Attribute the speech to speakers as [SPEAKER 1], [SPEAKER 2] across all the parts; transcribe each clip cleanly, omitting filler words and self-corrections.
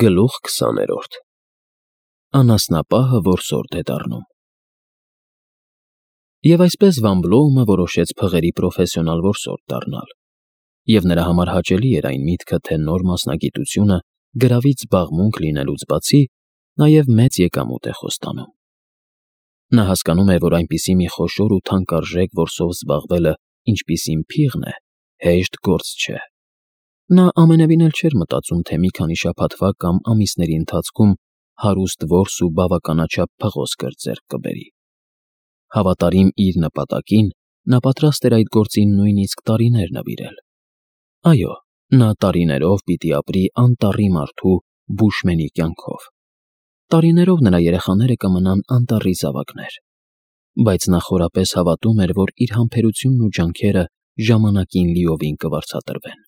[SPEAKER 1] Գլուխ 20-րդ Անասնապահը, որ սորդ է դառնում։ Եվ այսպես Վան Բլոումը որոշեց փղերի պրոֆեսիոնալ որսորդ դառնալ, և նրա համար հաճելի էր այն միտքը, թե նոր մասնագիտությունը գրավիչ զբաղմունք լինելուց բացի նաև մեծ եկամուտ է խոստանում։ Նա հասկանում էր, որ այնպիսի մի խոշոր ու թանկարժեք որսով զբաղվելը, ինչպիսին փիղն է, հեշտ գործ չէ։ Նա ամենևին էլ չէր մտածում, թե մի քանի շաբաթվա կամ ամիսների ընթացքում հարուստ որս ու բավականաչափ փղոսկր ձեռք կբերի։ Հավատարիմ իր նպատակին, նա պատրաստ էր այդ գործին նույնիսկ տարիներ նվիրել։ Այո, նա տարիներով պիտի ապրի անտառի մարդու բուշմենի կյանքով։ Տարիներով նրա երեխաները կմնան անտառի զավակներ։ Բայց նա խորապես հավատում էր, որ իր համբերությունն ու ջանքերը ժամանակին լիովին կվարձատրվեն։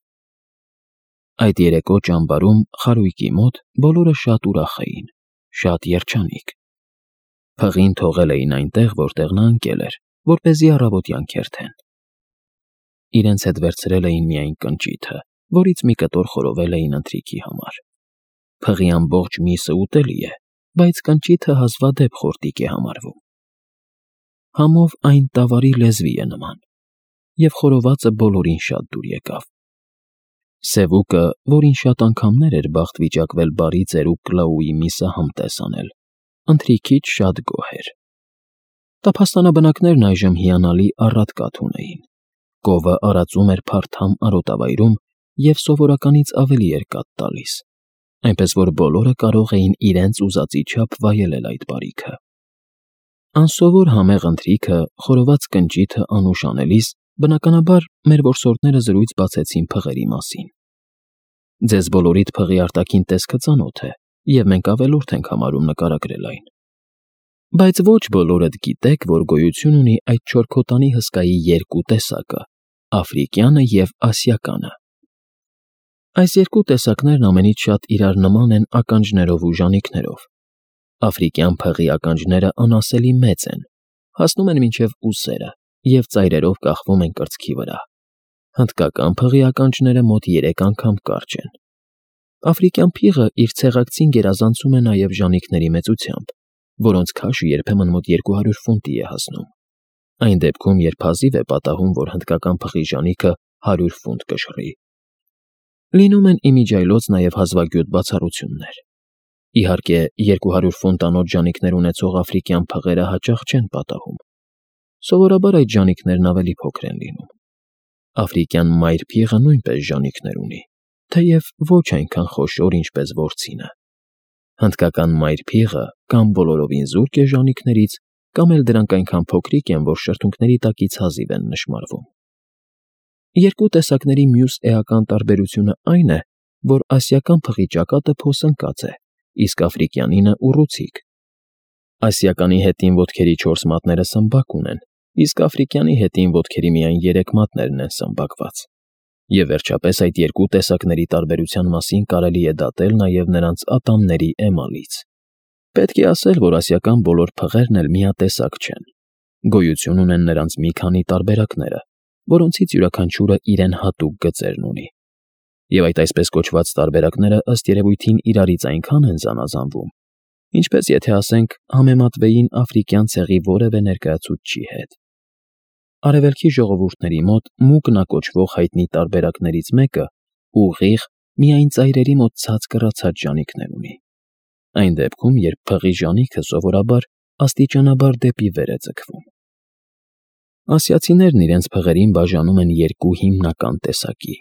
[SPEAKER 1] Այդ երեկո ճամբարում, խարույկի մոտ, բոլորը շատ ուրախ էին, շատ երջանիկ։ Փղին թողել էին այնտեղ, որտեղ նա ընկել էր, որպեսզի առավոտյան քերթեն։ Իրենց հետ վերցրել էին միայն կնճիթը, որից մի կտոր խորովել էին ընթրիքի համար։ Փղի ամբողջ միսը ուտելի է, բայց կնճիթը հազվադեպ խորտիկ է համարվում։ Համով այն տավարի լեզվի է նման, և խորովածը բոլորին շատ դուր եկավ։ Սևուկը, որին շատ անգամներ էր բախտ վիճակվել բարի ծերուկ Կլաուի միսը համտես անել, ընթրիքից շատ գոհ էր։ Տափաստանաբնակներն այժմ հիանալի առատկաթ ունեին։ Կովը արածում էր փարթամ արոտավայրում և սովորականից ավելի էր կաթ տալիս, այնպես որ բոլորը կարող էին իրենց ուզածի չափ վայելել այդ բարիքը։ Անսովոր համեղ ընթրիքը, խորոված կնճիթը անուշ անելիս, բնականաբար, մեր որսորդները զրույց բացեցին փղերի մասին։ Ձեզ բոլորիդ փղի արտաքին տեսքը ծանոթ է, և մենք ավելորդ ենք համարում նկարագրել այն։ Բայց ոչ բոլորդ գիտեք, որ գոյություն ունի այդ չորքոտանի հսկայի երկու տեսակը՝ աֆրիկյանը և ասիականը։ Այս երկու տեսակներն ամենից շատ իրար նման են ականջներով ու ժանիքներով։ Աֆրիկյան փղի ականջները անասելի մեծ են, հասնում են մինչև ուսերը և ծայրերով կախվում են կրծքի վրա։ Հնդկական փղի ականջները մոտ 3 անգամ կարճ են։ Աֆրիկյան փիղը իր ցեղակցին գերազանցում է նաև ժանիքների մեծությամբ, որոնց քաշը երբեմն մոտ 200 ֆունտի է հասնում։ Այն դեպքում, երբ հազիվ է պատահում, որ հնդկական փղի ժանիքը 100 ֆունտ կշռի։ Լինում են իմիջիայլոց նաև հազվագյուտ բացառություններ։ Իհարկե, 200 ֆունտանոց ժանիքներ ունեցող աֆրիկյան փղերը հաճախ չեն պատահում։ Սովորաբար այդ ժանիքներն ավելի փոքր են լինում։ Աֆրիկյան մայր փիղը նույնպես ժանիքներ ունի, թեև ոչ այնքան խոշոր, ինչպես որցինը։ Հնդկական մայր փիղը կամ բոլորովին զուրկ է ժանիքներից, կամ էլ դրանք այնքան փոքրիկ են, որ շրթունքների տակից հազիվ են նշմարվում։ Երկու տեսակների մյուս էական տարբերությունը այն է, որ ասիական փղի ճակատը փոսընկած է, իսկ աֆրիկյանինը ուռուցիկ։ Ասիականի հետին ոտքերի 4 մատները սմբակ ունեն, իսկ աֆրիկյանի հետին ոտքերի միայն 3 մատներն են սմբակված։ Եվ վերջապես այդ երկու տեսակների տարբերության մասին կարելի է դատել նաև նրանց ատամների էմալից։ Պետք է ասել, որ ասիական բոլոր փղերն էլ միատեսակ չեն։ Գոյություն ունեն նրանց մի քանի տարբերակները, որոնցից յուրաքանչյուրը իրեն հատուկ գծերն ունի։ Եվ այդ այսպես կոչված տարբերակները ըստ երևույթին իրարից այնքան են զանազանվում, ինչպես եթե ասենք համեմատվեին աֆրիկյան ցեղի որևէ ներկայացուցչի հետ։ Արևելքի ժողովուրդների մոտ մուկնա կոչվող հայտնի տարբերակներից մեկը ուղիղ, միայն ծայրերի մոտ ցած կռացած ժանիքներ ունի։ Այն դեպքում, երբ փղի ժանիքը սովորաբար աստիճանաբար դեպի վեր է ձգվում։ Ասիացիներն իրենց փղերին բաժանում են երկու հիմնական տեսակի։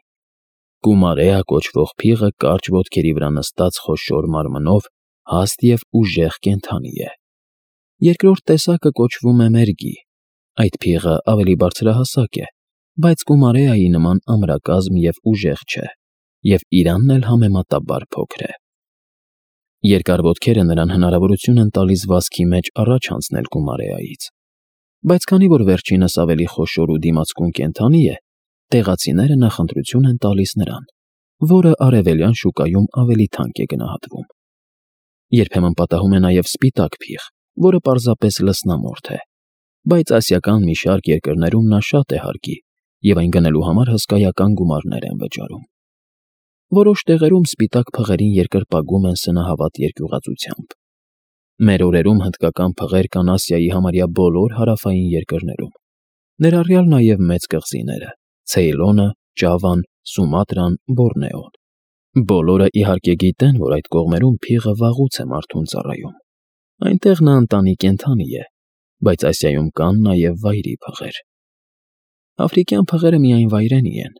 [SPEAKER 1] Կումարեա կոչվող փիղը կարճ ոտքերի վրա նստած խոշոր մարմնով հաստ և ուժեղ կենդանի է։ Երկրորդ տեսակը կոչվում է մերգի։ Այդ փիղը ավելի բարձրահասակ է, բայց կումարեայի նման ամրակազմ և ուժեղ չէ, և իրանն էլ համեմատաբար փոքր է։ Երկար ոտքերը նրան հնարավորություն են տալիս վազքի մեջ առաջ անցնել կումարեայից։ Բայց քանի որ վերջինս ավելի խոշոր ու դիմացկուն կենդանի է, տեղացիները նախընտրություն են տալիս նրան, որը արևելյան շուկայում ավելի թանկ է գնահատվում։ Երբեմն պատահում է նաև սպիտակ փիղ, որը պարզապես լսնամորթ է, բայց ասիական մի շարք երկրներում նա շատ է հարկի, և այն գնելու համար հսկայական գումարներ են վճարում։ Որոշ տեղերում սպիտակ փղերին երկրպագում են սնահավատ երկյուղածությամբ։ Մեր օրերում հնդկական փղեր կան Ասիայի համարյա բոլոր հարավային երկրներում, ներառյալ նաև մեծ կղզիները՝ Ցեյլոնը, Ճավան, Սումատրան, Բորնեոն։ Բոլորը իհարկե գիտեն, որ այդ կողմերում փիղը վաղուց է մարդուն ծառայում։ Այնտեղ նա ընտանի կենդանի է, բայց Ասիայում կան նաև վայրի փղեր։ Աֆրիկյան փղերը միայն վայրենի են։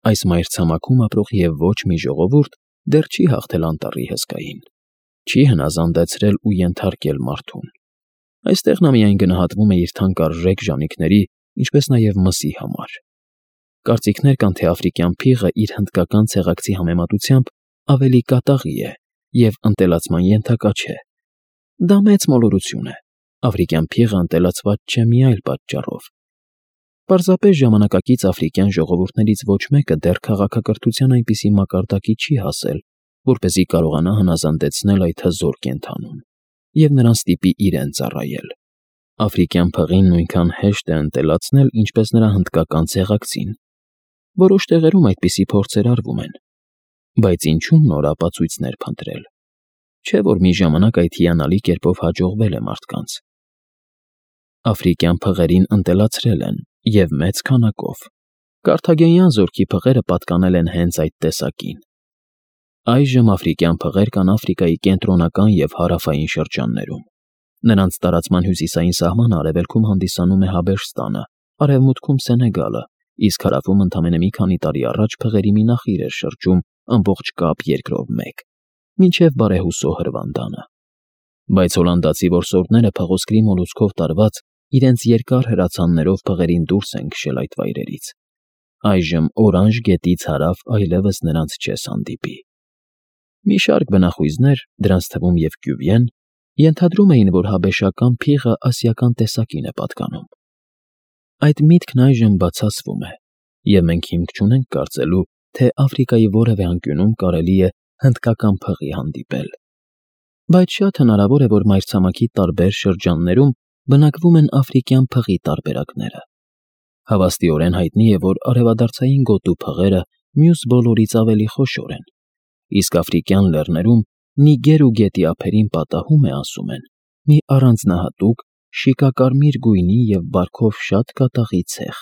[SPEAKER 1] Այս մայրցամաքում ապրող և ոչ մի ժողովուրդ դեռ չի հաղթել անտառի հսկային, չի հնազանդեցրել ու ենթարկել մարդուն։ Այստեղ նա միայն գնահատվում է իր թանկարժեք ժանիքների, ինչպես նաև մսի համար։ Կարծիքներ կան, թե աֆրիկյան փիղը իր հնդկական ցեղակցի համեմատությամբ ավելի կատաղի է և ընտելացման ենթակա չէ։ Դա մեծ մոլորություն է։ Աֆրիկյան փիղը ընտելացված չէ մի այլ պատճառով։ Պարզապես ժամանակակից աֆրիկյան ժողովուրդներից ոչ մեկը դեռ քաղաքակրթության այնպիսի մակարդակի չի հասել, որպեսզի կարողանա հնազանդեցնել այդ հզոր կենդանուն և նրան ստիպի իրեն ծառայել։ Աֆրիկյան փղին նույնքան հեշտ է ընտելացնել, ինչպես նրա հնդկական ցեղակցին։ Որոշ տեղերում այդպիսի փորձեր արվում են, բայց ինչու նոր ապացույցներ փնտրել։ Չէ՞ որ մի ժամանակ այդ հիանալի կերպով հաջողվել է մարդկանց։ Աֆրիկյան փղերին ընտելացրել են և մեծ քանակով։ Կարթագենյան զորքի փղերը պատկանել են հենց այդ տեսակին։ Այժմ աֆրիկյան փղեր կան Աֆրիկայի կենտրոնական և հարավային շրջաններում։ Նրանց տարածման հյուսիսային սահմանը արևելքում հանդիսանում է Հաբեշստանը, արևմուտքում Սենեգալը, իսկ հարավում ընդամենը մի քանի տարի առաջ փղերի մի նախիր էր շրջում ամբողջ Կապ երկրով մեկ, մինչև բարեհուսո Հրվանդանը։ Բայց հոլանդացի որսորդները փղոսկրի մոլուցքով տարված իրենց երկար հրացաններով փղերին դուրս են քշել այդ վայրերից։ Այժմ Օրանժ գետից հարավ այլևս նրանց չես հանդիպի։ Մի շարք բնախույզներ, դրանց թվում և Կյուվիեն, ենթադրում էին, որ հաբեշական փիղը ասիական տեսակին է պատկանում։ Այդ միտքն այժմ բացասվում է, և մենք հիմք չունենք կարծելու, թե Աֆրիկայի որևէ անկյունում կարելի է հնդկական փղի հանդիպել։ Բայց շատ հնարավոր է, որ մայրցամաքի տարբեր շրջաններում բնակվում են աֆրիկյան փղի տարբերակները։ Հավաստիորեն հայտնի է, որ արևադարձային գոտու փղերը մյուս բոլորից ավելի խոշոր են, իսկ աֆրիկյան լեռներում Նիգեր ու գետի ափերին պատահում է, ասում են, մի առանձնահատուկ, շիկակարմիր գույնի և բարքով շատ կատաղի ցեղ։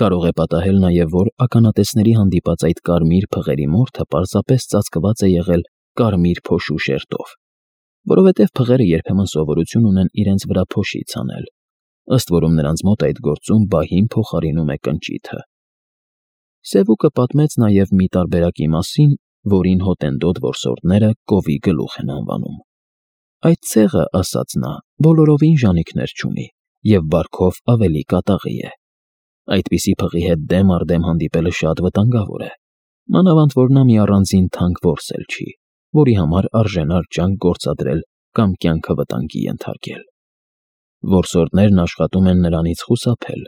[SPEAKER 1] Կարող է պատահել նաև, որ ականատեսների հանդիպած այդ կարմիր փղերի մորթը պարզապես ծածկված է եղել կարմիր փոշու շերտով, որովհետև փղերը երբեմն սովորություն ունեն իրենց վրա փոշից անել, ըստ որում նրանց մոտ այդ գործում բահին փոխարինում է կնճիթը։ Սևուկը պատմեց նաև մի տարբերակի մասին, որին հոտնդոտ որսորդները կովի գլուխ են անվանում։ Այդ ցեղը, ասաց նա, բոլորովին ժանիքներ չունի և բարքով ավելի կատաղի է։ Այդպիսի փղի հետ դեմ առ դեմ հանդիպելը շատ վտանգավոր է, մանավանդ որ նա մի առանձին թանկ որս էլ չի, որի համար արժենար ջանք գործադրել կամ կյանքը վտանգի ենթարկել։ Որսորդներն աշխատում են նրանից խուսափել։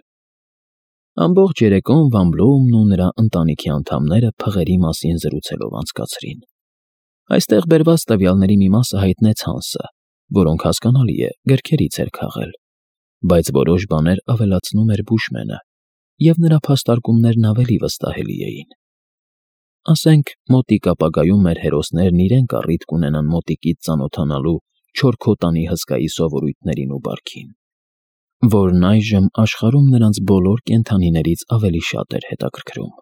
[SPEAKER 1] Ամբողջ երեկոն Վան Բլոումն ու նրա ընտանիքի անդամները փղերի մասին զրուցելով անցկացրին։ Այստեղ բերված տվյալների մի մասը հայտնեց Հանսը, որոնք հասկանալի է, գրքերից էր քաղել, բայց որոշ բաներ ավելացնում էր Բուշմենը, և նրա փաստարկումներն ավելի վստահելի էին։ Ասենք, մոտիկ ապագայում մեր հերոսներն իրենք առիթ կունենան մոտիկից ծանոթանալու Չորքոտանի հսկայի սովորույթներին ու բարքին, որն այժմ աշխարհում նրանց բոլոր կենդանիներից ավելի շատ էր հետաքրքրում։